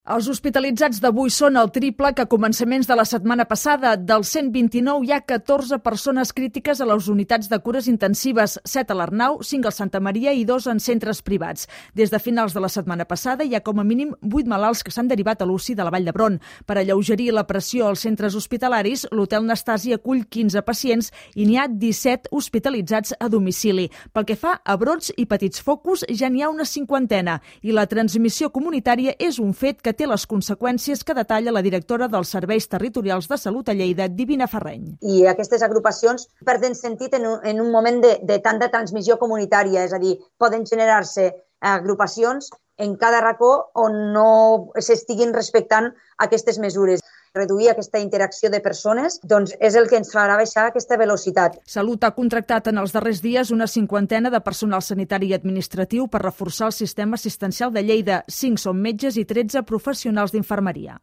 Els hospitalitzats d'avui són el triple que a començaments de la setmana passada. Dels 129 hi ha 14 persones crítiques a les unitats de cures intensives, 7 a l'Arnau, 5 al Santa Maria i 2 en centres privats. Des de finals de la setmana passada hi ha com a mínim 8 malalts que s'han derivat a l'UCI de la Vall d'Hebron. Per alleugerir la pressió als centres hospitalaris, l'Hotel Nastasi acull 15 pacients i n'hi ha 17 hospitalitzats a domicili. Pel que fa a brots i petits focus, ja n'hi ha una 50 i la transmissió comunitària és un fet que té les conseqüències que detalla la directora dels Serveis Territorials de Salut a Lleida, Divina Ferreny. I aquestes agrupacions perden sentit en un moment de tanta transmissió comunitària, és a dir, poden generar-se agrupacions en cada racó on no s'estiguin respectant aquestes mesures. Reduir aquesta interacció de persones és el que ens farà baixar aquesta velocitat. Salut ha contractat en els darrers dies una 50 de personal sanitari i administratiu per reforçar el sistema assistencial de Lleida. 5 són metges i 13 professionals d'infermeria.